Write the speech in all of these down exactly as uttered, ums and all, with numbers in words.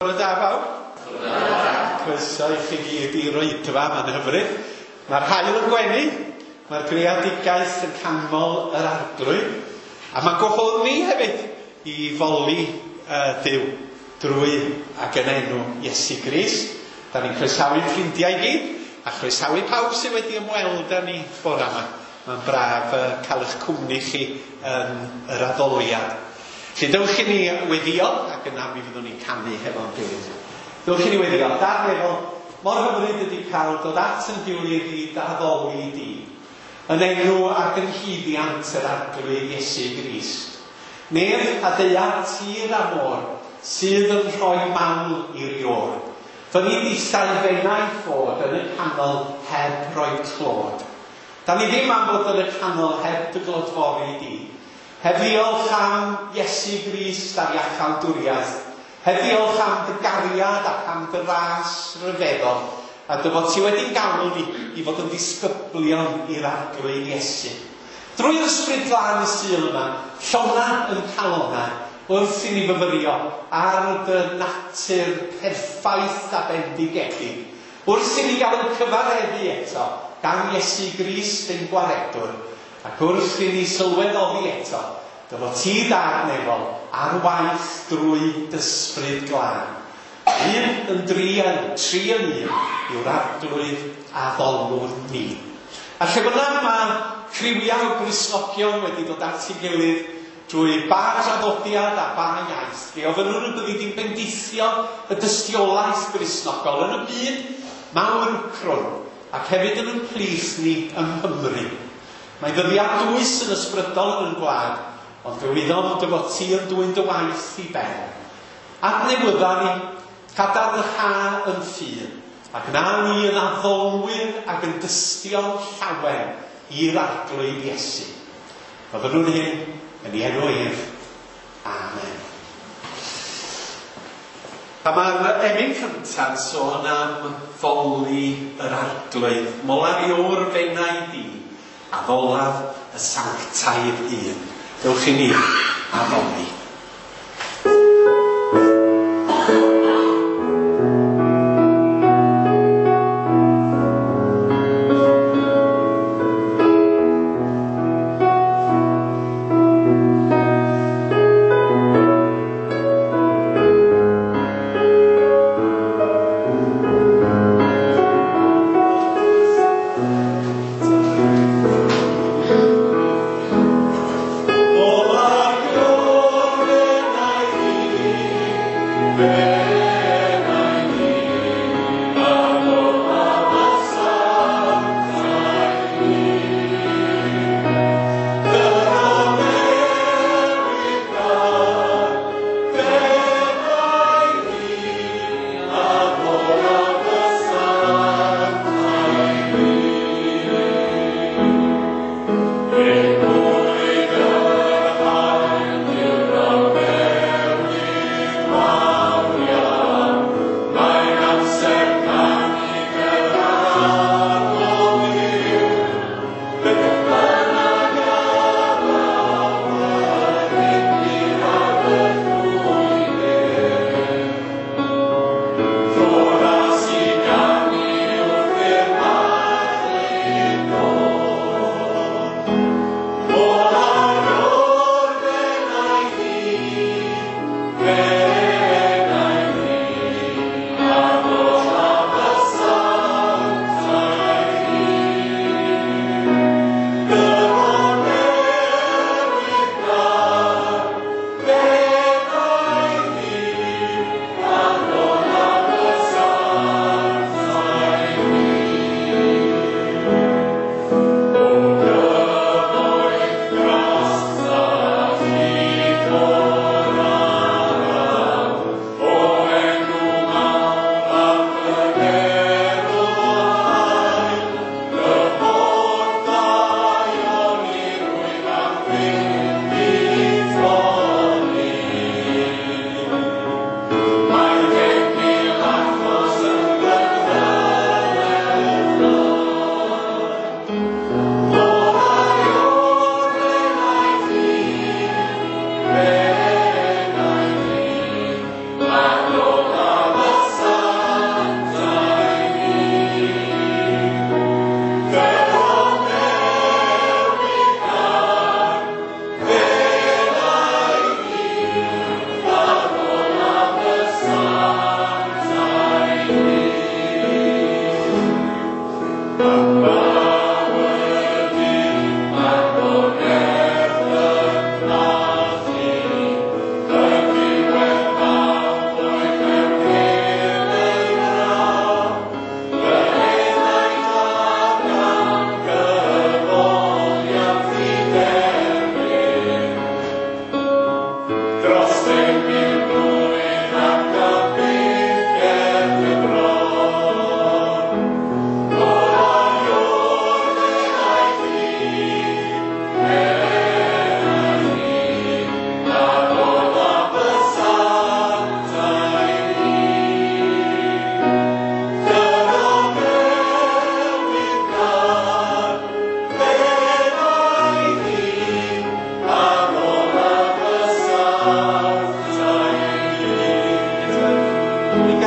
Bore da bawb. Croeso i chi gyd i'r oedfa, mae'n hyfryd. Mae'r haul yn gwenu, mae'r greadigaeth yn canmol yr arglwydd, a mae'n gwahodd ni hefyd i foli uh, Duw drwy ac yn enw Iesu Grist. Da ni'n croesawu ffrindiau i gyd, a chroesawu pawb sydd wedi ymweld â ni bore yma. Mae'n braf uh, cael eich cwmni chi yn yr addoliad. Felly dewch i ni weddio, ac yna mi fyddwn ni'n canu hefo'n gilydd. Dewch i ni weddio. Dad nefol, mor hyfryd ydy cael dod at yn gilydd i d'addoli di, yn enw ac yn hyddiant yr Arglwydd Iesu Grist. Nef a daear, tir a môr, sydd yn rhoi mawl i'r iôr. Fyny ddisau fenau ffod yn y canol heb roi clod. Da ni ddim am fod yn y canol heb dy glodfori di. Heb ddiolch am Iesu Grist a'r iachawdwriaeth. Heb ddiolch am dy gariad ac am dy ras ryfeddol, a dy fod ti wedi'n galw ni i fod yn ddisgyblion i'r Arglwydd Iesu. Drwy'r Ysbryd Glân y Sul yma, llona yn calonau, wrth i ni fyfyrio ar dy natur perffaith a bendigedig, wrth i ni gael yn cyfareddu eto gan Iesu Grist ein gwaredwr, ac wrth i ni sylweddoli eto, dy fod ti Dad nefol ar waith drwy d'Ysbryd Glân. Un yn dri yn tri yn un yw'r Arglwydd addolwr ni. A lle bynnag mae criwiau o Gristnogion wedi dod at ei gilydd drwy ba draddodiad a ba iaith, fe ofynnwn y byddi di'n bendithio y dystiolaeth Gristnogol yn y byd mawr crwn, ac hefyd yn ein plith ni yng Nghymru. Mae ddyddiad dwys yn ysbrydol yn y gwlad, ond fe wyddom dy fod ti yn dwyn dy waith i ben. Adnewydda ni, cadarnha yn ffydd, ac na ni yn addolwyr ac yn dystion llawen i'r Arglwydd Iesu. Gofynnwn hyn yn ei enw ef. Amen. A mae'r emyn cyntaf yn sôn am foli yr Arglwydd. Molar yw'r fenau di, addolaf y sanctaidd un. Dewch i ni addoli. Olar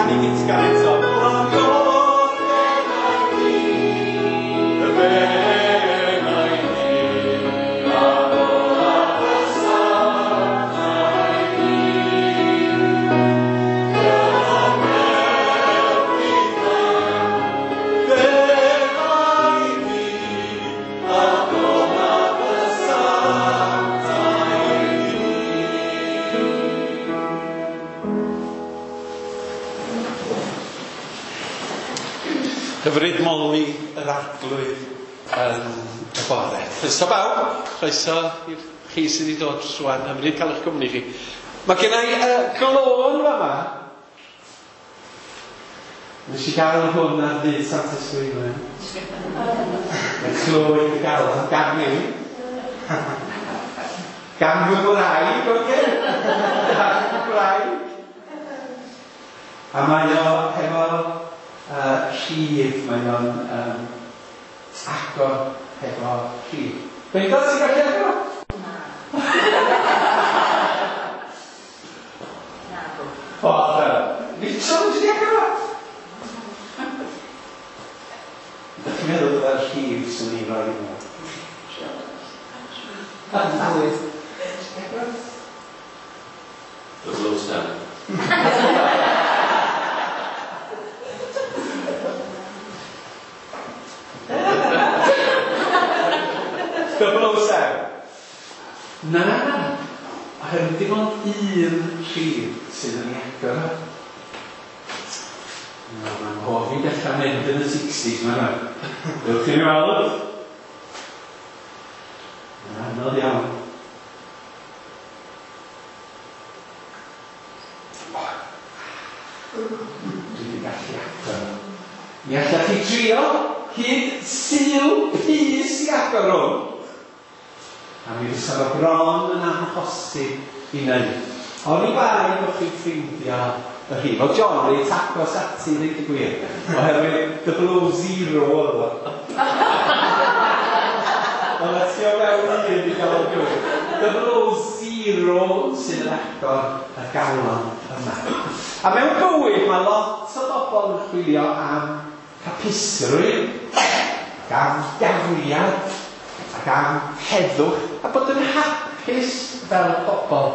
canu gytgan eto. Hyfryd moli yr Arglwydd yn y bore. Croeso bawb, croeso i'r chi sydd wedi dod rwan, hyfryd cael eich cwmni chi. Mae gen i uh, glôn fama. Nes i gael hwn ar ddydd Santes Dwynwen. Y clo i gael o'n gan i. Gan fy ngwraig, oce? Gan fy ngwraig. A mae o hefo Uh, rhif, mae o'n um, agor hefo rhif. Beidio, ti'n gallu agor? Na. Na. O, dyna. Mitchell, ti di agor o? Ydych chi'n meddwl byddai'r rhif sy'n ni'n rhoi yma? Wyth. Double oh seven. Double oh seven. Na, na, na. Oherwydd dim ond un rhif sydd yn ei agor. Na, mae'n hoff i dechrau mynd yn y sixties, mae'n rhaid. Dewch chi'n weld? Mae'n anodd iawn. Dwi wedi gallu agor. Mi allach chi trio hyd Sul pys i agor hwn. A mi fysa fo bron yn amhosib i wneud. Oni bai bod chi'n ffeindio y rhif. Oedd John reit agos ati, ddeud y gwir. Oherwydd double oh zero oedd o. Oedd o tu o fewn un i gael o'r gywir. Double oh zero sydd yn agor y galon yma. A mewn bywyd mae lot o bobl yn chwilio am hapusrwydd, ac am gariad, ac am heddwch, a bod yn hapus fel pobl.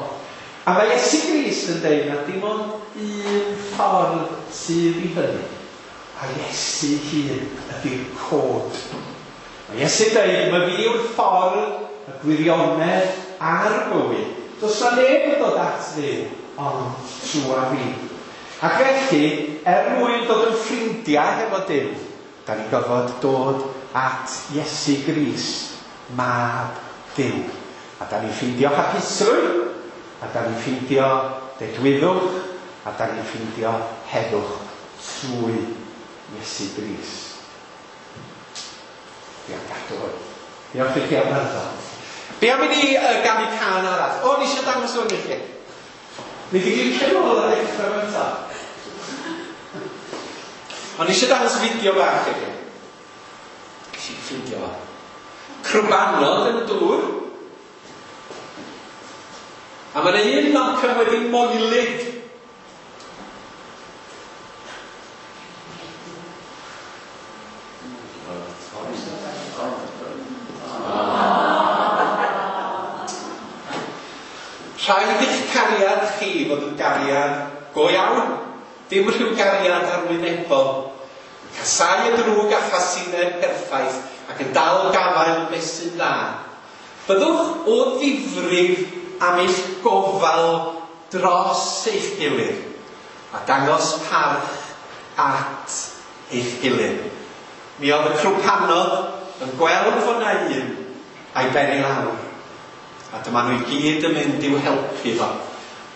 A mae Iesu Grist yn dweud na dim ond un ffordd sydd i hynny. A Iesu hun ydy'r cod. Mae Iesu'n dweud, mae fi yw'r ffordd, y gwirionedd a'r bywyd. Does na neb yn dod at Dduw, ond trwy fi. Ac felly, er mwyn dod yn ffrindiau hefo Duw, da ni'n gorfod dod at Iesu Grist, mab Duw. A da ni'n ffeindio hapusrwydd, a da ni'n ffeindio dedwyddwch, a da ni'n ffeindio heddwch trwy Iesu Grist. Fi am gadw hwn. Diolch i chi am wrando. Be am i ni uh, ganu cân arall? O, ni eisiau dangos hwn i chi. Ni di glicio nôl ar ddechrau eto. Ond ni eisiau dangos fideo bach i chi. Nes i ffeindio fo. Crwbanod yn y dŵr. A mae yna un Malcolm wedi moelydd. Rhaid i'ch cariad chi fod yn gariad go iawn. Dim rhyw gariad arwynebol. Casau y drwg a chasineb perffaith ac yn dal gafael beth sy'n dda. Byddwch o ddifrif am eich gofal dros eich gilydd a dangos parch at eich gilydd. Mi oedd y crwpanod yn gweld fod na un a'i ben i lawr. A dyma nhw i gyd yn mynd i'w helpu fo.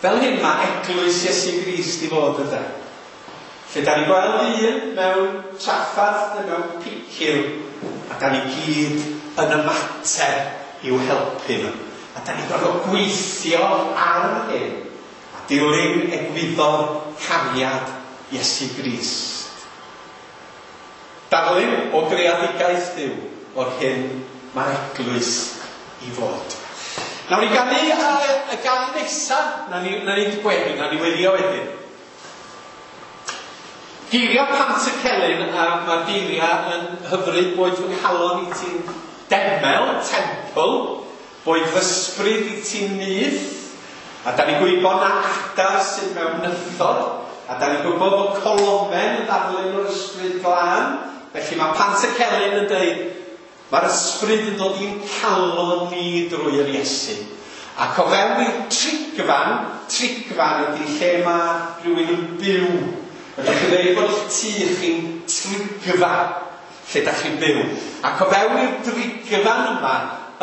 Fel hyn mae eglwys Iesu Grist i fod ydy. Lle da ni'n gweld un mewn traffarth neu mewn picil, a da ni gyd yn ymateb i'w helpu nhw. A da ni'n gorfod gweithio ar hyn, a dilyn egwyddor cariad Iesu Grist. Darlun o greadigaeth Duw o'r hyn mae'r eglwys i fod. Nawn ni ganu y, y gân nesaf, na ni, na ni gweddi, na ni weddio wedyn. Geiriau Pantycelyn, a mae'r geiriau yn hyfryd, boed fy nghalon i ti'n demel, temple, boed fy ysbryd i ti'n nyth, a da ni'n gwybod na adar sydd mewn nythod, a da ni'n gwybod bod colomen yn ddarlun o'r ysbryd glân, felly mae Pantycelyn yn dweud, mae'r ysbryd yn dod i'n calon ni drwy'r Iesu. Ac o fewn i'r trigfan, trigfan ydy lle mae rhywun yn byw. Ydych chi'n dweud bod eich tŷ chi'n trigfa lle da chi'n byw. Ac o fewn i'r drigfan yma,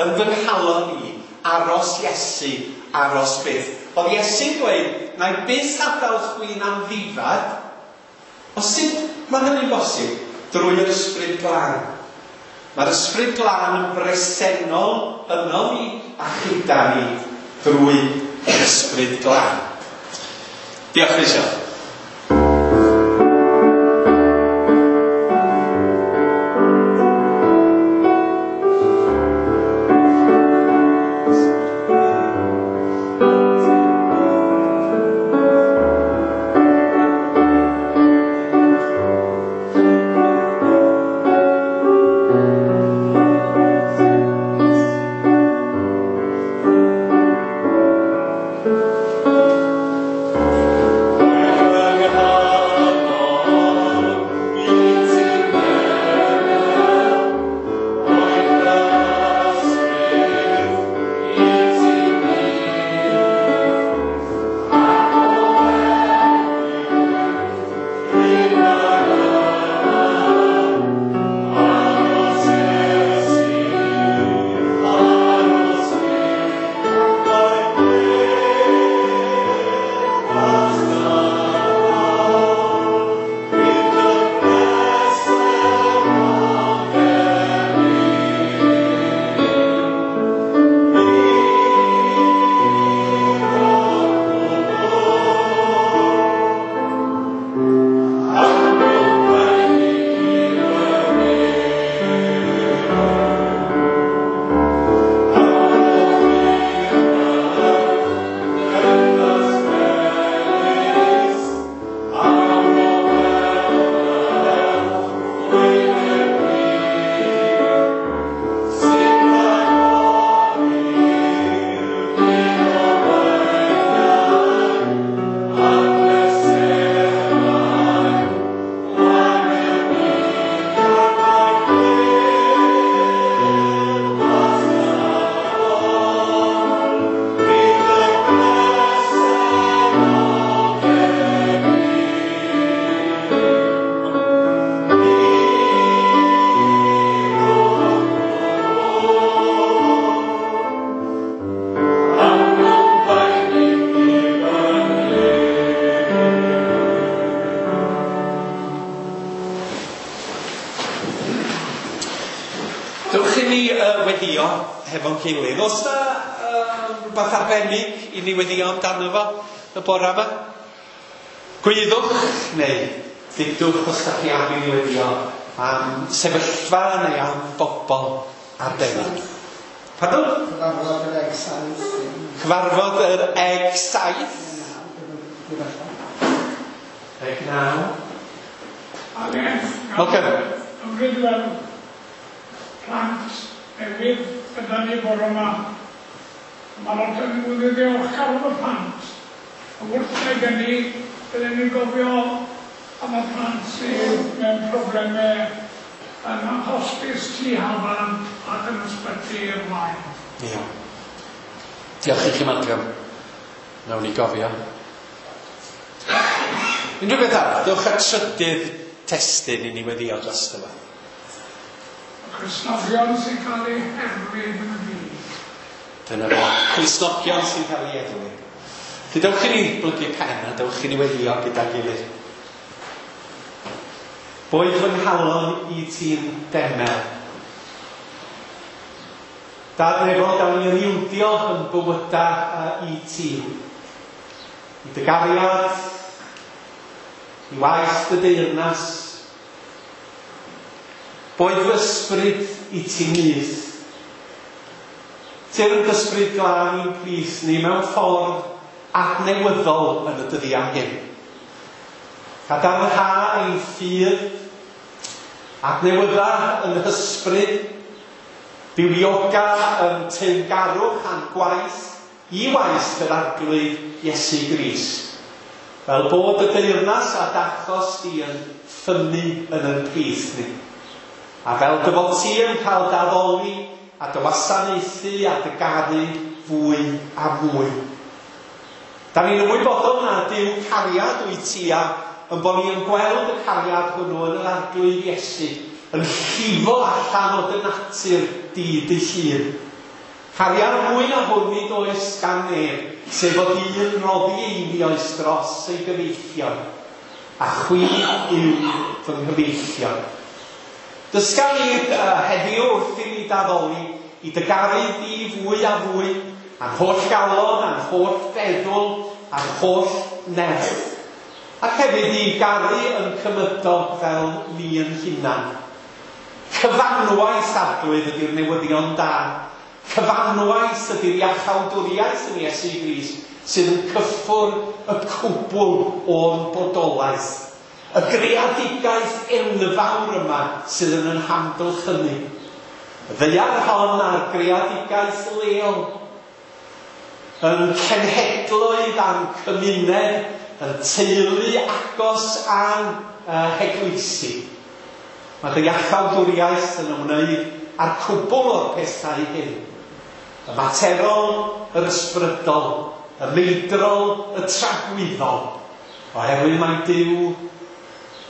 yn fy nghalon i, aros Iesu, aros byth. Oedd Iesu'n dweud, na i byth adael chwi'n amddifad. O sut mae hynny'n bosib? Drwy'r ysbryd glân. Mae'r ysbryd glân yn bresennol yno ni a chyda ni drwy yr ysbryd glân. Diolch Rachel. Hefo'n gilydd. Oes na uh, rhywbeth arbennig i ni weddio amdano fo y bore yma? Gwyddwch neu dudwch os da chi am i ni weddio am sefyllfa neu am bobl arbennig. Pardon? Cyfarfod yr Eg Saith. Cyfarfod yr Eg Saith. Eg Naw. Malcolm. Hyfryd weld plant newydd gyda ni bore yma. Mae lot yn nhw'n ddiolchgar am y plant. A wrth wneud hynny, bydden ni'n gofio am y plant sydd mewn problemau yn hospis Tŷ Hafan ac yn ysbyty i'r Waun. Ie. Diolch i chi, Malcolm. Nawn ni gofio. Unrhyw beth arall, dewch at trydydd testun i ni weddio drosto fo. Cristnogion sy'n cael eu herlid yn y byd. Dyna fo. Cristnogion sy'n cael eu erlid. Felly dewch i ni blygu pen a dewch i ni weddio gyda'n gilydd. Boed fy nghalon i ti'n demel. Dad nefol, dawn ni yn ildio yn bywyda i ti. I dy gariad, i waith dy deyrnas. Boed fy ysbryd i ti nyth. Tyrd ysbryd glân i'n plith ni mewn ffordd adnewyddol yn y dyddiau hyn. Cadarnha ein ffydd, adnewydda yn hysbryd, bywioga yn teyrngarwch a'n gwaith i waith yr Arglwydd Iesu Grist, fel bod y deyrnas a d'achos di yn ffynnu yn ein plith ni. A fel dy fod ti yn cael d'addoli a dy wasanaethu a dy garu fwy a mwy. Da ni'n ymwybodol na Duw cariad wyt ti a yn bod ni yn gweld y cariad hwnnw yn yr Arglwydd Iesu yn llifo allan o dy natur di dy hun. Cariad mwy na hwn nid oes gan neb, sef fod un roddi einioes dros ei gyfeillion, a chwi yw fy nghyfeillion. Dysga ni uh, heddiw wrth i ni d'addoli i dy garu di fwy a fwy, a'n holl galon, a'n holl feddwl, a'n holl nerth. Ac hefyd i garu yn cymydog fel ni yn hunan. Cyfanwaith, Arglwydd, ydy'r newyddion da. Cyfanwaith ydy'r iachawdwriaeth yn Iesu Grist sydd yn cyffwrdd y cwbl o'n bodolaeth. Y greadigaeth enfawr yma sydd yn ein hamgylchynu. Y ddaear hon a'r greadigaeth leol. Yn cenhedloedd a'n cymuned, yn teulu agos a'n uh, heglwysi. Mae dy iachawdwriaeth yn ymwneud â'r cwbl o'r pethau hyn. Y materol, yr ysbrydol, y meidrol, y tragwyddol. Oherwydd mae Duw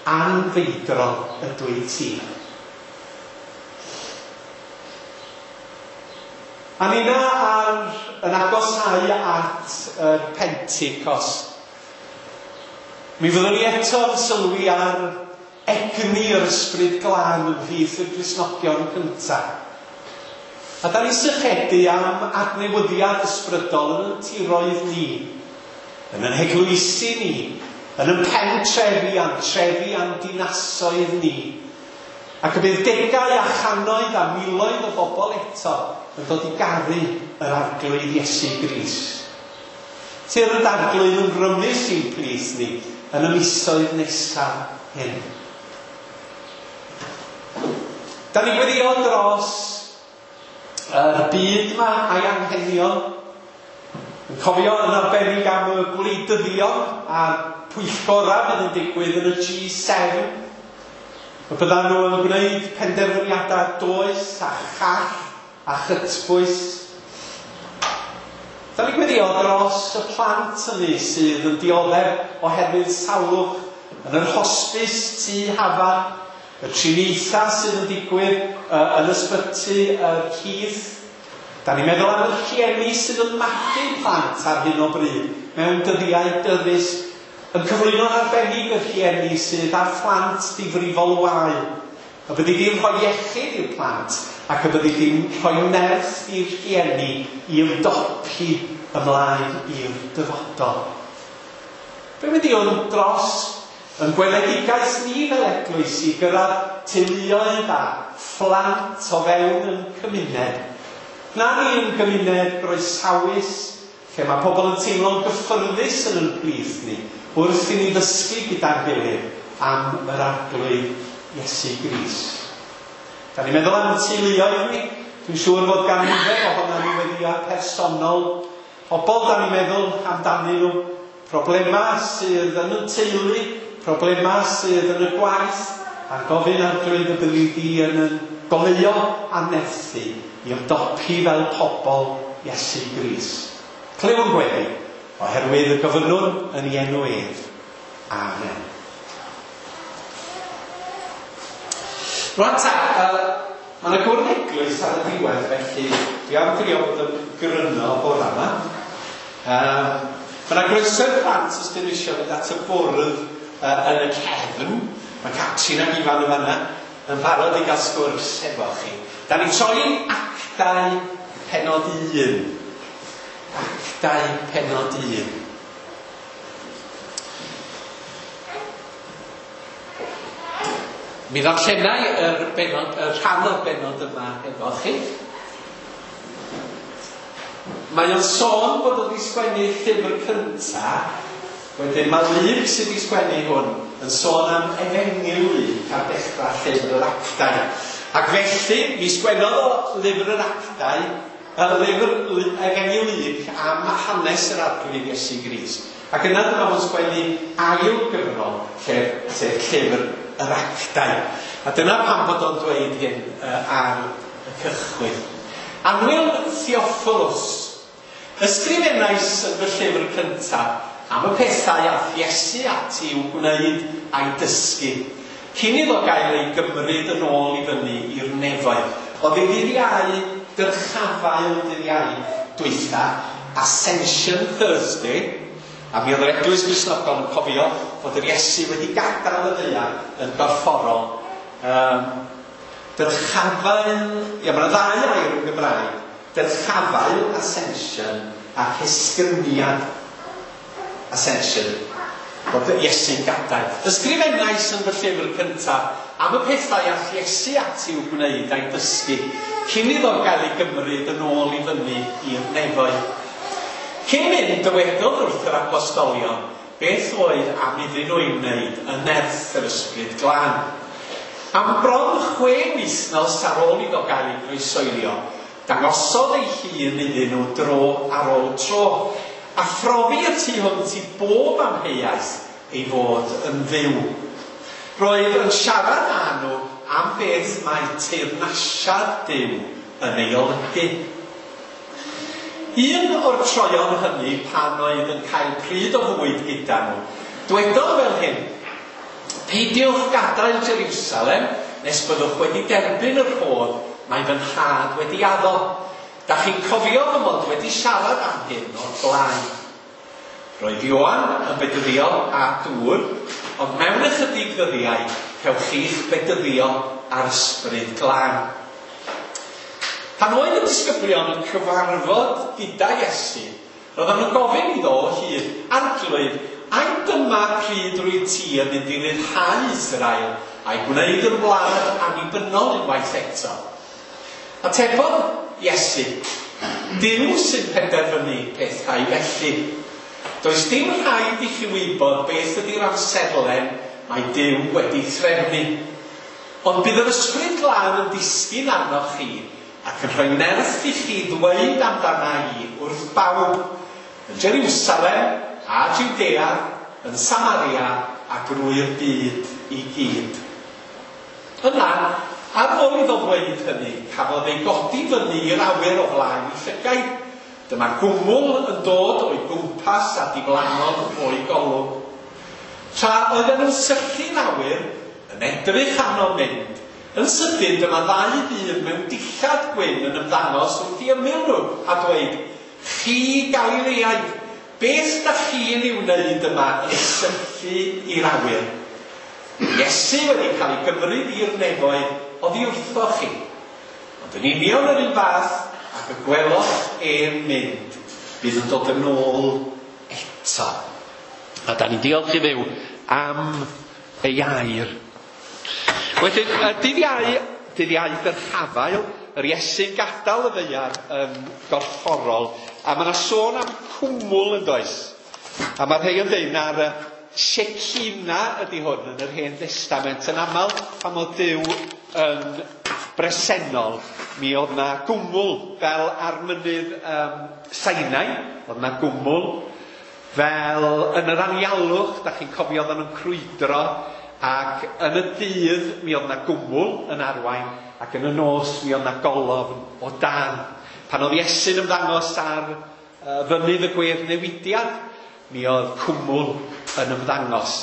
anfeidrol ydw i ti. A nina ar, yn agosáu at y Pentecost. Mi fyddwn ni eto yn sylwi ar egni yr Ysbryd Glân ymhlith y Cristnogion cyntaf. A da ni sychedu am adnewyddiad ysbrydol yn ein tiroedd ni, yn ein heglwysi ni, yn ein pentrefi a'n trefi a'n dinasoedd ni. Ac y bydd degau a channoedd a miloedd o bobl eto yn dod i garu yr Arglwydd Iesu Grist. Tyrd Arglwydd yn rymus i'n plith ni yn y misoedd nesaf hyn. Da ni'n gweddio dros yr byd yma a'i anghenion. Yn cofio yn arbennig am y gwleidyddion a'r pwyllgora fydd yn digwydd yn y G seven. Y byddan nhw yn gwneud penderfyniadau doeth a chall a chytbwys. Da ni'n gweddio dros y plant hynny sydd yn dioddef oherwydd salwch yn yr hosbis Tŷ Hafan, y triniaethau sydd yn digwydd uh, yn ysbyty y Keith. Da ni'n meddwl am y rhieni sydd yn magu plant ar hyn o bryd mewn dyddiau dyddus, yn cyflwyno'n arbennig y rhieni sydd â phlant difrifol wael. Y byddi di'n rhoi iechyd i'r plant ac y byddi di'n rhoi nerth i'r rhieni i ymdopi ymlaen i'r dyfodol. Be wedi o'n dros yn gweledigaeth ni fel eglwys i gyrraedd teuluoedd a phlant o fewn yn cymuned. Na ni yn gymuned groesawus, lle mae pobl yn teimlo'n gyffyrddus yn ein plith ni, wrth i ni ddysgu gyda'n gilydd am yr Arglwydd Iesu Grist. Da ni'n meddwl am y teuluoedd ni. Dwi'n siŵr fod gan nifer ohonon ni weddïau personol. Pobl da ni'n meddwl amdanyn nhw. Problemau sydd yn y teulu, problemau sydd yn y gwaith, a'n gofyn Arglwydd y byddi di yn yn goleuo a nerthu i ymdopi fel pobl Iesu Grist. Clywn gweddi, oherwydd y gofynnwn yn ei enw ef. Amen. Rwan ta, uh, mae yna gwrdd eglwys ar y diwedd, felly dwi am drio bod yn gryno bore yma. Um, mae yna groeso i'r plant os dyn nhw eisiau mynd at y bwrdd uh, yn y cefn. Mae Catrin ac Ifan yn fanna yn barod i gael sgwrs efo chi. Da ni'n troi Actau pennod un. Actau pennod un. Mi ddarllenai yr benod, y rhan o'r benod yma efo chi. Mae o'n sôn bod o wedi sgwennu llyfr cynta, Wedyn mae Luc sydd wedi sgwennu hwn yn sôn am Efengyl Luc ar dechrau llyfr yr Actau. Ac felly, mi sgwennodd o lyfr yr Actau, y lyfr Efengyl Luc am hanes yr Arglwydd Iesu Grist. Ac yna dyma fo'n sgwennu ail gyfrol, sef llyfr yr Actau. A dyna pam bod o'n dweud hyn uh, ar y cychwyn. Annwyl Theophilus, ysgrifennais yn fy llyfr cyntaf am y pethau ath Iesu ati i'w gwneud a'i dysgu, cyn iddo gael ei gymryd yn ôl i fyny i'r nefoedd. Oedd ei ddydd Iau, dyrchafael dydd Iau dwytha, Ascension Thursday, a mi oedd yr Eglwys Gristnogol yn cofio fod yr Iesu wedi gadael y ddaear yn gorfforol. Um, dyrchafael, ia, mae yna ddau air yn Gymraeg, dyrchafael, ascension, ac esgyniad, ascension, bod Iesu'n gadael. Ysgrifennais yn fy llyfr cyntaf am y pethau ath Iesu ati i'w gwneud a'i dysgu, cyn iddo gael ei gymryd yn ôl i fyny i'r nefoedd. Cyn mynd, dywedodd wrth yr apostolion beth oedd am iddyn nhw i'w wneud yn nerth yr Ysbryd Glân. Am bron chwe wythnos ar ôl iddo gael ei groesoelio, dangosodd ei hun iddyn nhw dro ar ôl tro, a phrofi y tu hwnt i bob amheuaeth ei fod yn fyw. Roedd yn siarad â nhw am beth mae teyrnasiad Duw yn ei olygu. Un o'r troion hynny pan oedd yn cael pryd o fwyd gyda nhw, dwedodd fel hyn: peidiwch gadael Jerusalem nes byddwch wedi derbyn yr rhodd mae fy nhad wedi addo. Da chi'n cofio fy mod wedi siarad am hyn o'r blaen. Roedd Ioan yn bedyddio â dŵr, ond mewn ychydig ddyddiau cewch chi'ch bedyddio ar Ysbryd Glân. Pan oedd y disgyblion yn cyfarfod gyda Iesu, roedden nhw'n gofyn iddo o hyd, Arglwydd, ai dyma pryd rwyt ti yn mynd i ryddhau Israel a'i gwneud yr wlad annibynnol unwaith eto? Atebodd Iesu, Duw sy'n penderfynu pethau felly. Does dim rhaid i chi wybod beth ydy'r amserlen mae Duw wedi threfnu. Ond bydd yr Ysbryd Glân yn disgyn arnoch chi ac yn rhoi nerth i chi ddweud amdana i wrth bawb yn Jerusalem a Judea, yn Samaria a drwy'r byd i gyd. Yna, ar ôl iddo ddweud hynny, cafodd ei godi fyny i'r awyr o flaen ei llygaid. Dyma gwmwl yn dod o'i gwmpas a diflannodd o'i golwg. Tra oedden nhw'n syllu'n awyr, yn edrych arno mynd, yn sydyn dyma ddau ddyn mewn dillad gwyn yn ymddangos wrth i ymyl nhw a dweud, chi Galileaid, beth da chi'n ei wneud yma yn syllu i'r awyr? Iesu wedi cael ei gymryd i'r nefoedd oddi wrthoch chi. Ond yn union yr un fath, ac y gweloch e'n mynd, bydd yn dod yn ôl eto. A da ni'n diolch i Dduw am ei air. Wedyn, dydd Iau, dydd Iau dyrchafael, yr Iesu'n gadael y ddaear yn gorfforol, a mae yna sôn am cwmwl yn does. A mae rhai yn dweud na'r Shekinah ydy hwn yn yr Hen Destament. Yn aml, pan oedd Duw yn bresennol, mi oedd na gwmwl fel ar mynydd um, Sinai, oedd na gwmwl, fel yn yr anialwch, da chi'n cofio oedden nhw'n crwydro, ac yn y dydd mi oedd na gwmwl yn arwain, ac yn y nos mi oedd na golofn o dan. Pan oedd Iesu'n ymddangos ar uh, fynydd y gwedd newidiad, mi oedd cwmwl yn ymddangos.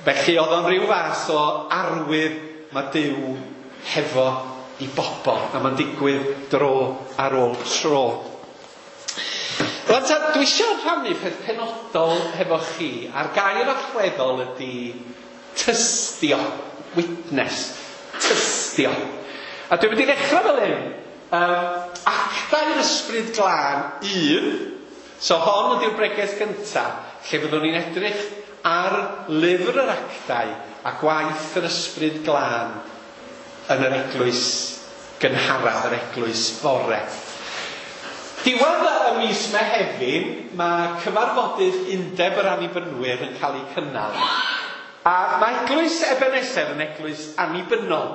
Felly oedd o'n rhyw fath o arwydd mae Duw hefo i bobl, a mae'n digwydd dro ar ôl tro. Rwan ta, dwi eisiau rhannu peth penodol hefo chi, a'r gair allweddol ydy tystio, witness, tystio. A dwi'n mynd i ddechrau fel hyn, um, Actau'r Ysbryd Glân un, so hon ydy'r bregeth gyntaf, lle fyddwn ni'n edrych ar lyfr yr Actau a gwaith yr Ysbryd Glân yn yr eglwys gynharaf, yr eglwys fore. Diwedd y mis Mehefin, mae cyfarfodydd Undeb yr Annibynwyr yn cael eu cynnal. A mae Eglwys Ebeneser yn eglwys annibynnol.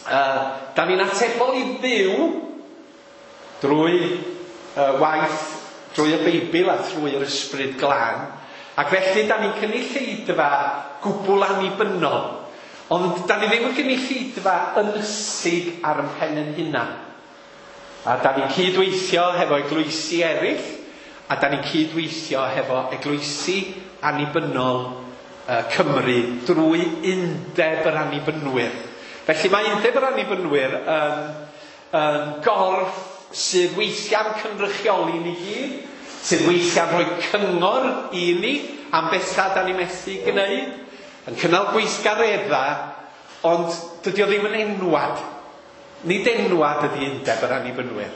Uh, da ni'n atebol i Dduw drwy uh, waith, drwy y Beibl a thrwy yr Ysbryd Glân. Ac felly da ni'n cynulleidfa gwbl annibynnol. Ond da ni ddim yn gynulleidfa ynysig ar ein pen ein hunan. A da ni'n cydweithio hefo eglwysi eraill, a da ni'n cydweithio hefo eglwysi annibynnol uh, Cymru drwy Undeb yr Annibynwyr. Felly mae Undeb yr Annibynwyr yn, yn gorff sydd weithiau'n cynrychioli ni gyd, sydd weithiau'n rhoi cyngor i ni am bethau da ni methu gwneud, yn cynnal gweithgareddau, ond dydy o ddim yn enwad. Nid enwad ydy Undeb yr Annibynwyr.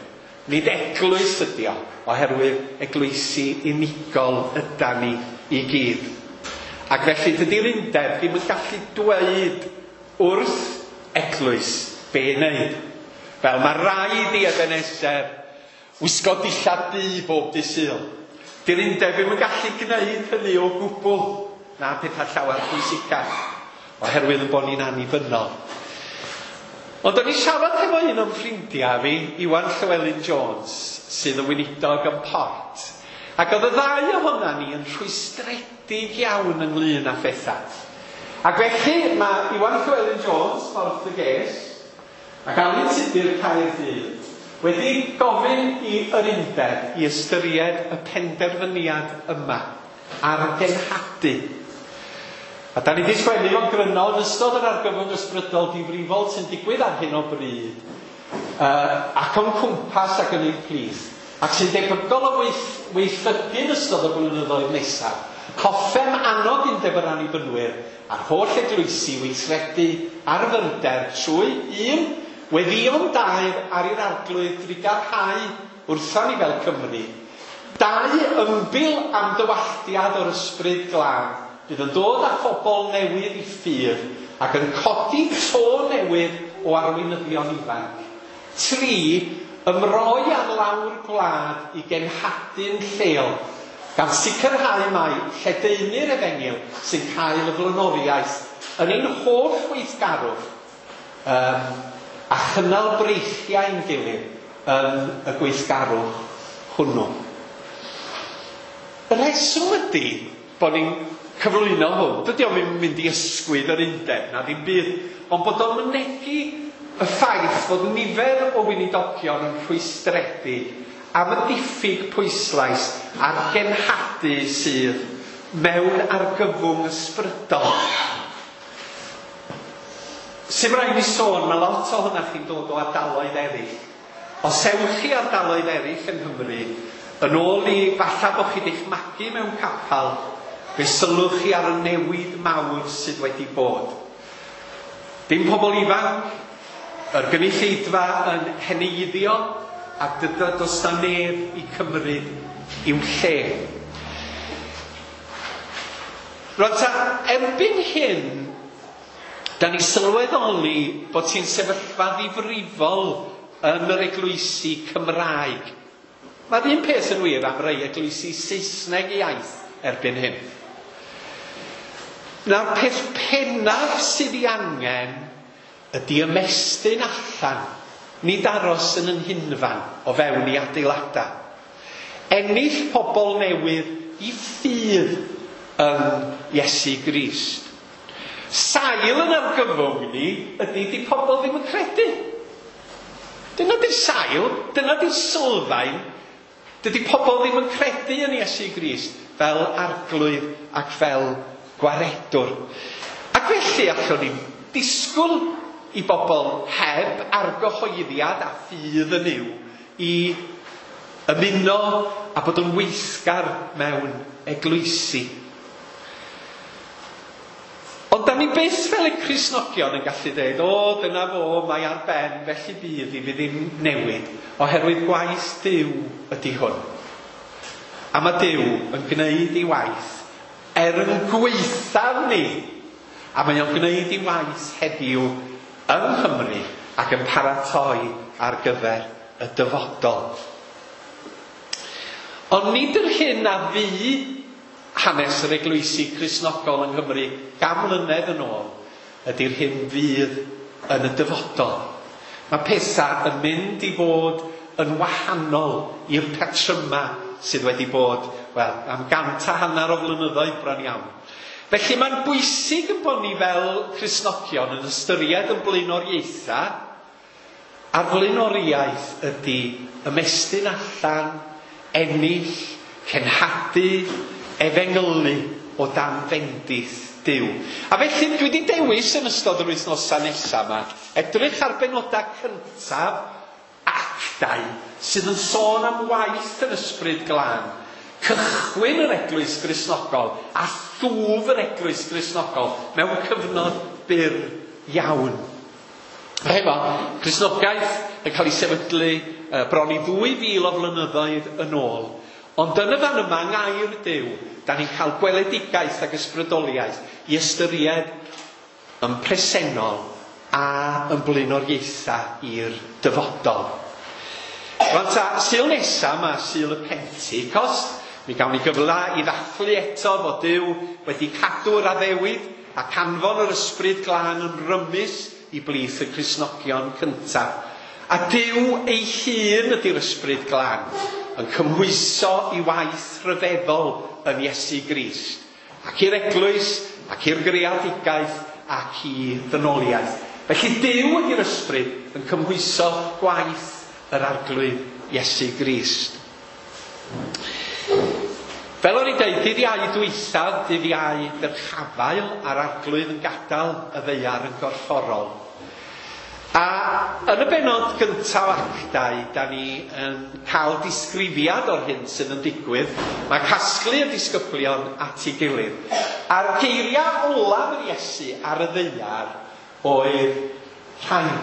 Nid eglwys ydy o, oherwydd eglwysi unigol yda ni i gyd. Ac felly dydy'r undeb ddim yn gallu dweud wrth eglwys be i wneud. Fel mae rhaid i Ebeneser wisgo dillad du bob dydd Sul. Dy'r undeb ddim yn gallu gwneud hynny o gwbl, na pethau llawer pwysicach, oherwydd yn bod ni'n annibynnol. Ond o'n i siarad hefo un o'n ffrindiau fi, Iwan Llywelyn Jones, sydd yn weinidog yn Port. Ac oedd y ddau ohona ni yn rhwystredig iawn ynglyn â phethau. Ac felly mae Iwan Llywelyn Jones, Porth y Ges, ac Alun Tudur Caerdydd, wedi gofyn i yr undeb i ystyried y penderfyniad yma ar genhadu. A da ni wedi sgwennu fo'n gryno yn ystod yr argyfwng ysbrydol difrifol sy'n digwydd ar hyn o bryd, uh, ac o'n cwmpas ac yn ein plith, ac sy'n debygol o weith, weithrydu yn ystod y blynyddoedd nesaf. Hoffem annog Undeb yr Annibynwyr a'r holl eglwysi weithredu ar fyrder trwy un weddïo'n daer ar i'r Arglwydd drugarhau wrthon ni fel Cymru. Dau, ymbil am dywalltiad o'r Ysbryd Glân bydd yn dod â phobl newydd i ffydd ac yn codi to newydd o arweinyddion ifanc. Tri, ymroi ar lawr gwlad i genhadu'n lleol, gan sicrhau mai lledaenu'r efengyl sy'n cael y flaenoriaeth yn ein holl weithgarwch um, a chynnal breichiau'n gilydd yn y gweithgarwch hwnnw. Y rheswm ydy bod ni'n cyflwyno hwn, dydy o'm yn mynd i ysgwyd yr undeb na ddim byd, ond bod o'n mynegi y ffaith fod nifer o weinidogion yn rhwystredig am y diffyg pwyslais a'r genhadu sydd mewn argyfwng ysbrydol. Sy'n rhaid i sôn, mae lot ohonoch chi'n dod o ardaloedd eraill. Os ewch chi ardaloedd eraill yng Nghymru, yn ôl i falle bod chi wedi'ch magu mewn capel, fe sylwch chi ar y newid mawr sydd wedi bod. Dim pobl ifanc, yr gynulleidfa yn heneiddio, a dydy does na neb i cymryd i'w lle. Rwan ta, erbyn hyn, da ni sylweddoli bod ti'n sefyllfa ddifrifol yn yr eglwysi Cymraeg. Mae'r un peth yn wir am rai eglwysi Saesneg iaith erbyn hyn. Nawr, peth pennaf sydd ei angen ydy ymestyn allan, nid aros yn yn hunfan o fewn i adeiladau. Ennill pobl newydd i ffydd yn Iesu Grist. Sail yn argyfwng ni ydy di pobl ddim yn credu. Dyna di'r sail, dyna di'r sylfaen. Dydy pobl ddim yn credu yn Iesu Grist fel arglwydd ac fel gwaredwr. Ac felly allwn ni disgwyl i bobl heb argyhoeddiad a ffydd yn Nuw i ymuno a bod yn weithgar mewn eglwysi. Ond da ni byth fel y Cristnogion yn gallu dweud, o, dyna fo, mae ar ben, felly bydd i fi ddim newid, oherwydd gwaith Duw ydy hwn. A mae Duw yn gwneud ei waith er yn gwaethaf ni, a mae o'n gwneud ei waith heddiw yng Nghymru ac yn paratoi ar gyfer y dyfodol. Ond nid yr hyn a fu hanes yr eglwysi Cristnogol yng Nghymru gan mlynedd yn ôl ydy'r hyn fydd yn y dyfodol. Mae pethau yn mynd i fod yn wahanol i'r patryma sydd wedi bod, wel, am gant a hanner o flynyddoedd bron iawn. Felly mae'n bwysig yn bod ni fel Cristnogion yn ystyried yn blaenoriaethau, a'r blaenoriaeth ydy ymestyn allan, ennill, cenhadu, efengylu o dan fendith Duw. A felly dwi wedi dewis yn ystod yr wythnosau nesaf yma edrych ar benodau cyntaf Actau sydd yn sôn am waith yr Ysbryd Glân, cychwyn yr Eglwys Gristnogol a thwf yr Eglwys Gristnogol mewn cyfnod byr iawn. Hefo, Cristnogaeth yn cael ei sefydlu bron i ddwy fil o flynyddoedd yn ôl. Ond yn y fan yma, yng ngair Duw, da ni'n cael gweledigaeth ac ysbrydoliaeth i ystyried yn presennol a yn blaenoriaethau i'r dyfodol. Rwan ta, Sul nesa yma, Sul y Pentecost, mi gawn ni gyfle i ddathlu eto fod Duw wedi cadw'r addewid ac anfon yr Ysbryd Glân yn rymus i blith y Cristnogion cyntaf. A Duw ei hun ydy'r Ysbryd Glân, yn cymhwyso i waith rhyfeddol yn Iesu Grist, ac i'r eglwys, ac i'r greadigaeth, ac i ddynoliaeth. Felly Duw ydy'r Ysbryd yn cymhwyso gwaith yr Arglwydd Iesu Grist. Fel o'n i'n deud, dydd Iau dwythaf, dydd Iau dyrchafael a'r Arglwydd yn gadael y ddaear yn gorfforol. A yn y bennod gyntaf Actau, da ni yn cael disgrifiad o'r hyn sydd yn digwydd. Mae casglu y disgyblion at ei gilydd. A'r geiriau olaf yr Iesu ar y ddaear oedd rhain.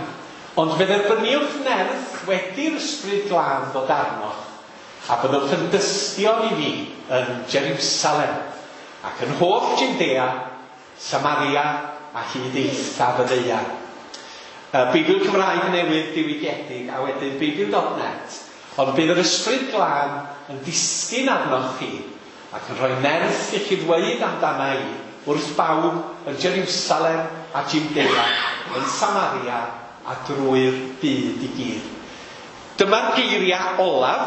Ond fe dderbyniwch nerth wedi'r Ysbryd Glân ddod arnoch, a byddwch yn dystion i fi yn Jerusalem, ac yn holl Judea, Samaria a hyd eithaf y ddaear. Beibl Cymraeg newydd diwygiedig a wedyn Beibl dot net. Ond bydd yr Ysbryd Glân yn disgyn arnoch chi ac yn rhoi nerth i chi ddweud amdana i wrth bawb yn Jerusalem a Judea, yn Samaria a drwy'r byd i gyd. Dyma'r geiriau olaf.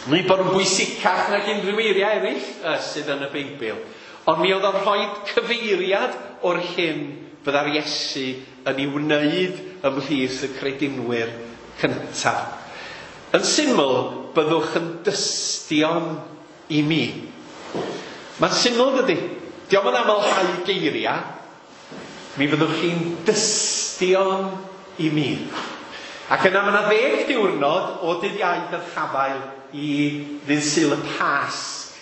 Mae'n bod yn bwysicach nag unrhyw eiriau eraill sydd yn y Beibl. Ond mi oedd o'n rhoi cyfeiriad o'r hyn fydda'r Iesu yn ei wneud ymhlith y credinwyr cyntaf. Yn syml, byddwch yn dystion i mi. Mae'n syml, dydy. Dio'm yn amlhau geiriau. Mi fyddwch chi'n dystion i mi. Ac yna mae yna ddeg diwrnod o dydd Iau dyrchafael i ddydd Sul y Pasg.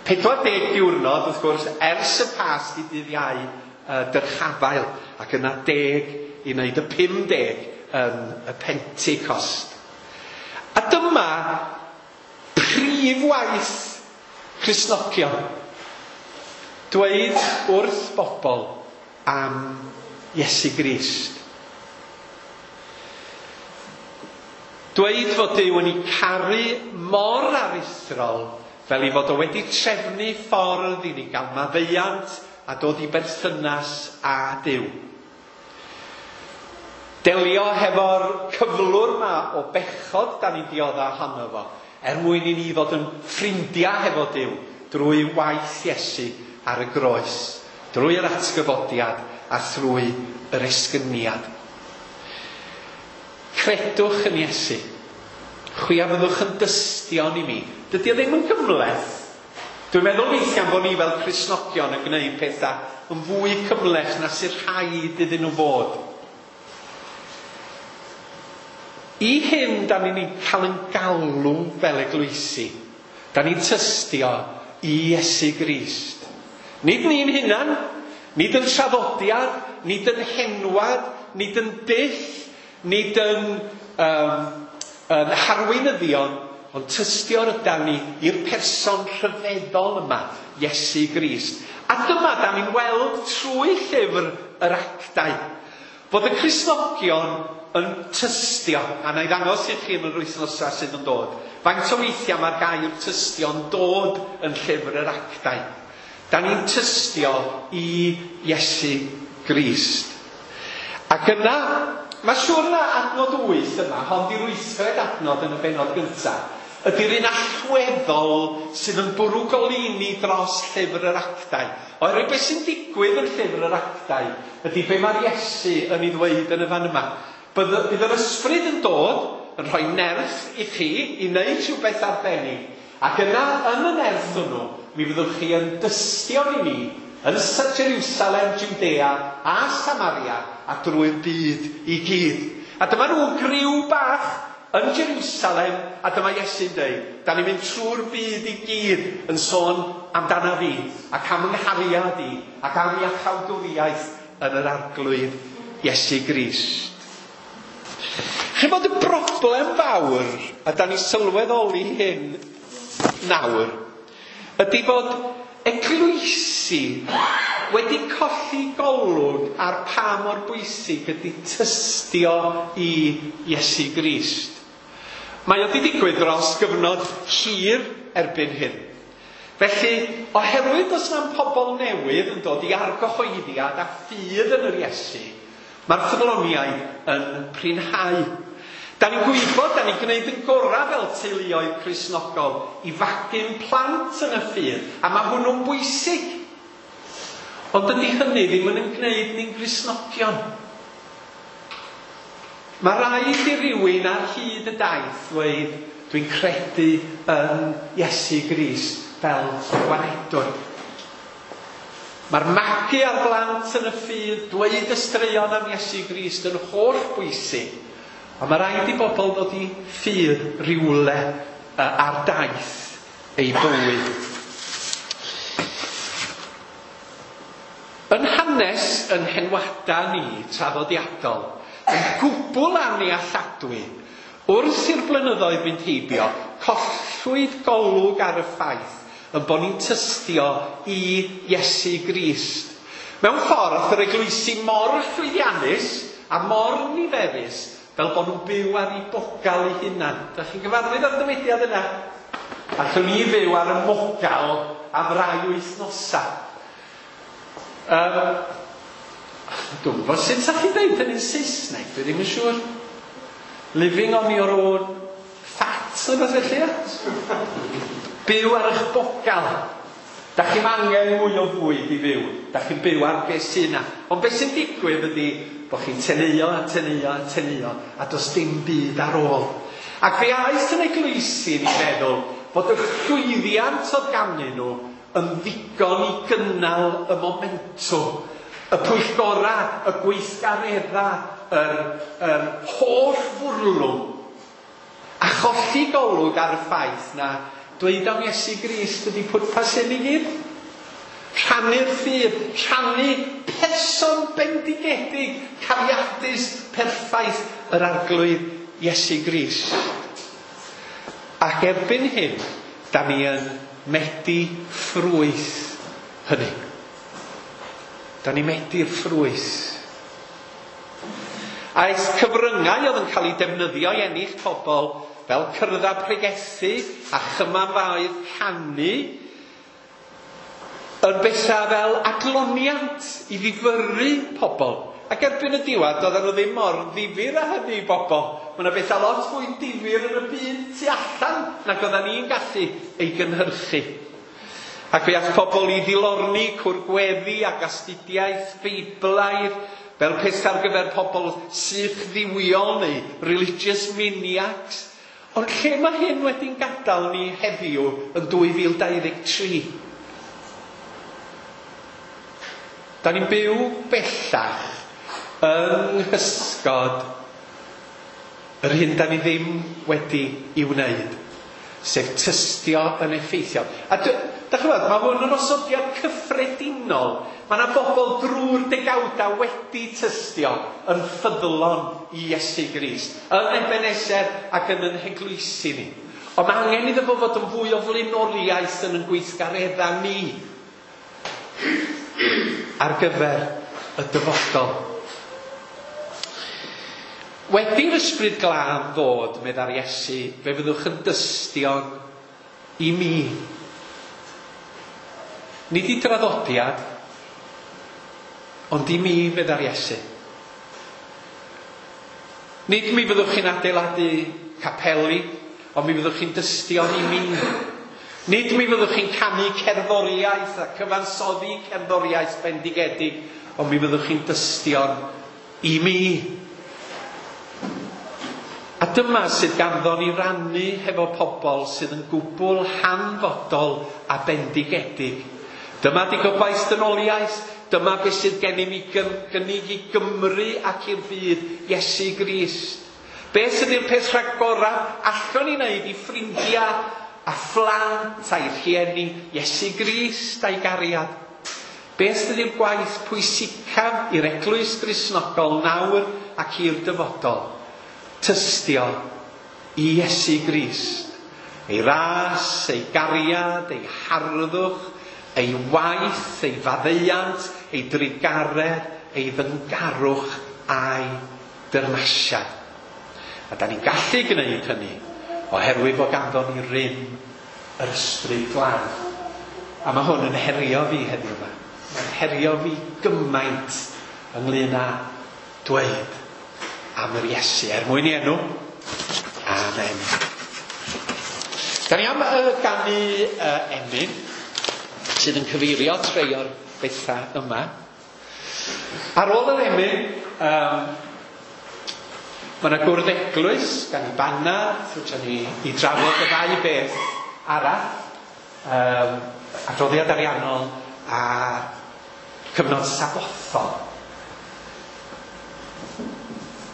Pedwar deg diwrnod, wrth gwrs, ers y Pasg i dydd Iau dyrchafael, ac yna deg i wneud y pum deg yn y Pentecost. A dyma prif waith Cristnogion. Dweud wrth bobl am Iesu Grist. Dweud fod Duw yn ei caru mor aruthrol fel ei fod o wedi trefnu ffordd i ni gael maddeuant a dod i berthynas â Duw. Delio hefo'r cyflwr ma o bechod da ni'n diodda ohono fo, er mwyn i ni fod yn ffrindiau hefo Duw drwy waith Iesu ar y groes, drwy'r atgyfodiad a thrwy yr esgyniad. Credwch yn Iesu. Chwi a fyddwch yn dystion i mi. Dydy o ddim yn gymhleth. Dwi'n meddwl weithiau bod ni fel Cristnogion yn gwneud pethau yn fwy cymhleth na sy'n rhaid iddyn nhw fod. I hyn, da ni'n cael yn galw fel eglwysi. Da ni'n tystio i Iesu Grist. Nid ni'n hunan, nid yn traddodiad, nid yn henwad, nid yn dull, nid yn, um, yn harweinyddion, ond tystio'r ydan ni i'r person rhyfeddol yma, Iesu Grist. A dyma da ni'n weld trwy llyfr yr Actau, bod y Cristnogion yn tystio, a na i ddangos i chi yn yr wythnosau sydd yn dod, faint o weithiau mae'r gair tystio'n dod yn llyfr yr Actau. Da ni'n tystio i Iesu Grist. Ac yna, mae siŵr na adnod wyth yma, hon di'r wythfed adnod yn y bennod gyntaf, ydy'r un allweddol sydd yn bwrw goleuni dros llyfr yr Actau. Oherwydd beth sy'n digwydd yn llyfr yr Actau ydy be mae'r Iesu yn ei ddweud yn y fan yma. Bydd, bydd yr ysbryd yn dod yn rhoi nerth i chi i wneud rhywbeth arbennig. Ac yna, yn y nerth hwnnw, mi fyddwch chi yn dystio i mi yn Jerusalem, Judea a Samaria a drwy'r byd i gyd. A dyma nhw griw bach yn Jerusalem, a dyma Iesu'n dweud, da ni'n mynd trwy'r byd i gyd yn sôn amdana fi, ac am 'nghariad i, ac am iachawdwriaeth yn yr Arglwydd Iesu Grist. Chi'n bod y broblem fawr, a da ni sylweddoli hyn nawr, ydy bod eglwysi wedi colli golwg ar pa mor bwysig ydy tystio i Iesu Grist. Mae o wedi digwydd dros gyfnod hir erbyn hyn. Felly, oherwydd does na'm pobl newydd yn dod i argyhoeddiad a ffydd yn yr Iesu, mae'r ffyddloniaid yn prinhau. Da ni'n gwybod, da ni'n gwneud yn gorau fel teuluoedd Cristnogol i fagu'n plant yn y ffydd, a mae hwnnw'n bwysig. Ond dydy hynny ddim yn gwneud ni'n Gristnogion. Mae rhaid i rywun ar hyd y daith ddweud, dwi'n credu yn Iesu Grist fel gwaredwr. Mae'r magu ar blant yn y ffydd, dweud y straeon am Iesu Grist yn holl bwysig. Ond mae rhaid i bobl ddod i ffydd rywle ar daith eu bywyd. Yn hanes yn henwada ni traddodiadol, yn gwbl annealladwy, wrth i'r blynyddoedd fynd heibio, collwyd golwg ar y ffaith yn bod ni'n tystio i Iesu Grist. Mewn ffordd, yr eglwysi mor llwyddiannus a mor niferus fel bod nhw'n byw ar eu bogal eu hunan. Dach chi'n gyfarwydd â'r dywediad yna? Allwn ni fyw ar y mogal am rai wythnosau. Um, dwi'n gwybod sut sa'ch chi'n dweud hynny'n Saesneg, dwi ddim yn siŵr. Living on your own fat, neu beth felly, ia? Byw ar eich bogal. Da chi'm angen mwy o fwyd i fyw. Da chi'n byw ar beth sy'n yna. Ond beth sy'n digwydd ydy bod chi'n teneuo a teneuo a teneuo a does dim byd ar ôl. Ac fe aeth yn eglwysi ni feddwl bod y llwyddiant oedd ganddyn nhw yn ddigon i gynnal y momentwm, y pwyllgora, y gweithgaredda, yr, yr holl fwrlwm, a cholli golwg ar y ffaith na dweud am Iesu Grist ydy pwrpas hyn i gyd. Rhannu'r ffydd, rhannu person bendigedig, cariadus, perffaith yr Arglwydd Iesu Grist. Ac erbyn hyn, da ni yn medi ffrwyth hynny. Da ni medi'r ffrwyth. Aeth cyfryngau oedd yn cael eu defnyddio i ennill pobl fel cyrddau pregethu a chymanfaoedd canu yn bethau fel adloniant i ddifyrru pobl. Ac erbyn y diwedd, doedden nhw ddim mor ddifyr â hynny i bobl. Mae yna bethau lot fwy difyr yn y byd tu allan nag oedden ni'n gallu ei gynhyrchu. Ac fe aeth pobl i ddilorni, cwrgweddi ac astudiaeth Feiblaidd fel peth ar gyfer pobl sych ddiwiol neu religious maniacs. Ond lle mae hyn wedi'n gadael ni heddiw yn dwy fil dau ddeg tri? Da ni'n byw bellach yng nghysgod yr hyn da ni ddim wedi i wneud, sef tystio yn effeithiol. A dych chi'n gwybod, mae hwn yn osodiad cyffredinol. Mae yna bobl drwy'r degawdau wedi tystio yn ffyddlon i Iesu Grist, yn Ebenezer ac yn yn heglwysi ni. Ond mae angen iddo fo fod yn fwy o flaenoriaeth yn yn gweithgareddau ni ar gyfer y dyfodol. Wedi'r Ysbryd Glân ddod, meddai'r Iesu, fe fyddwch yn dystion i mi. Nid i draddodiad, ond i mi, meddai'r Iesu. Nid mi fyddwch chi'n adeiladu capeli, ond mi fyddwch chi'n dystion i mi. Nid mi fyddwch chi'n canu cerddoriaeth a cyfansoddi cerddoriaeth bendigedig, ond mi fyddwch chi'n dystion i mi. A dyma sydd ganddo ni rannu hefo pobl sydd yn gwbl hanfodol a bendigedig. Dyma di gobaith dynoliaeth, dyma beth sydd gennym i gynnig i Gymru ac i'r byd, Iesu Grist. Beth ydy'r peth rhagoraf allwn ni wneud i ffrindiau a phlant a'i rhieni, Iesu Grist a'i gariad? Beth ydy'r gwaith pwysicaf i'r Eglwys Gristnogol nawr ac i'r dyfodol? Tystio i Iesu Grist, ei ras, ei gariad, ei harddwch, ei waith, ei faddeuant, ei drugaredd, ei ddyngarwch a'i dyrnasiad. A da ni'n gallu gwneud hynny oherwydd bod ganddo ni rym yr Ysbryd Glân. A mae hwn yn herio fi heddiw yma. Mae'n herio fi gymaint ynglyn â dweud am yr Iesu, er mwyn i enw. Amen. Da ni am uh, ganu uh, emyn sydd yn cyfeirio at rhai o'r bethau yma. Ar ôl yr emyn, um, mae yna gwrdd eglwys gan i banad, fedrwn ni i drafod y ddau beth arall, um, adroddiad ariannol a cyfnod sabothol.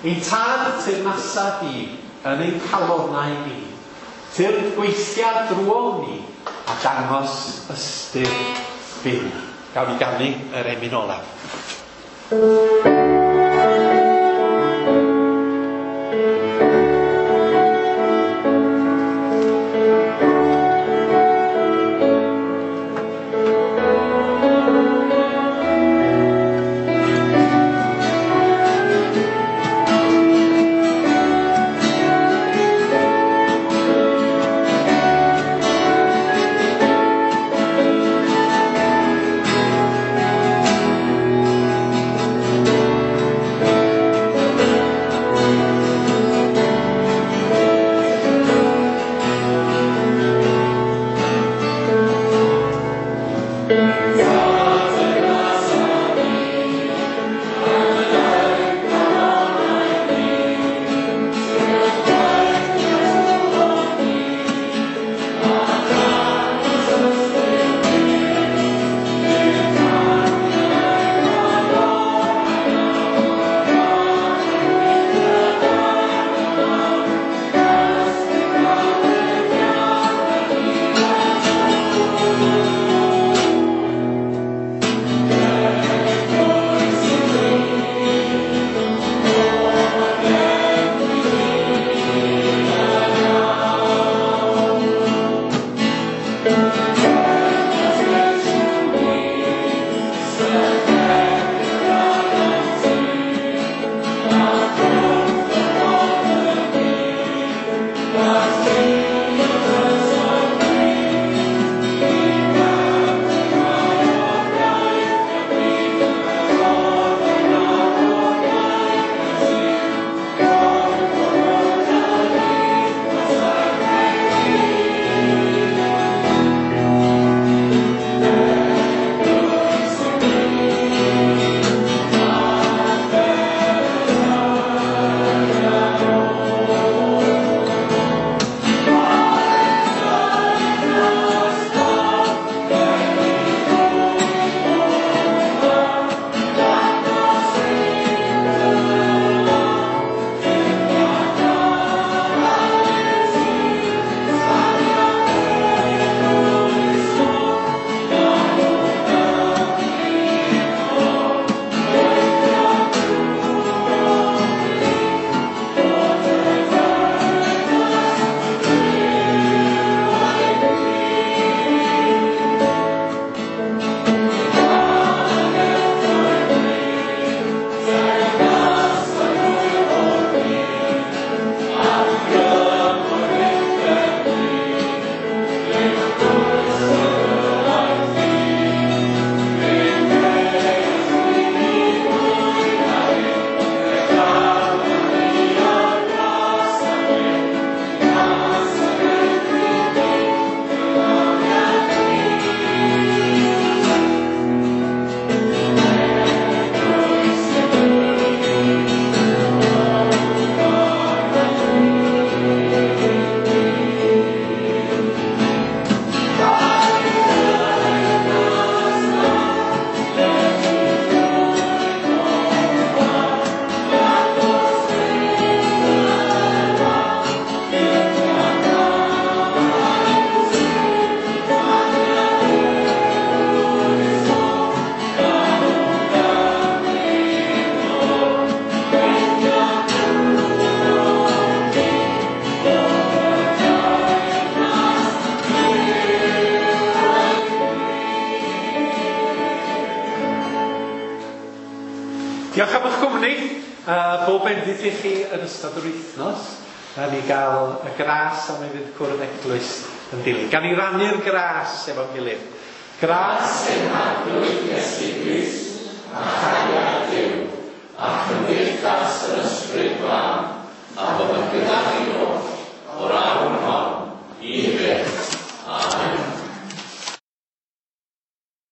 Ein tad teyrnasa di yn ein calonnau ni, tyrd gweithia drwom ni a dangos ystyr byw. Gawn ni ganu yr emyn olaf. Thank Diolch am eich cwmni. Uh, bob bendith i chi yn ystod yr wythnos. A ni gael y gras am ei fydd cwrdd eglwys yn dilyn. Gan i rannu'r gras efo'n gilydd. Gras ein Harglwydd Iesu Grist a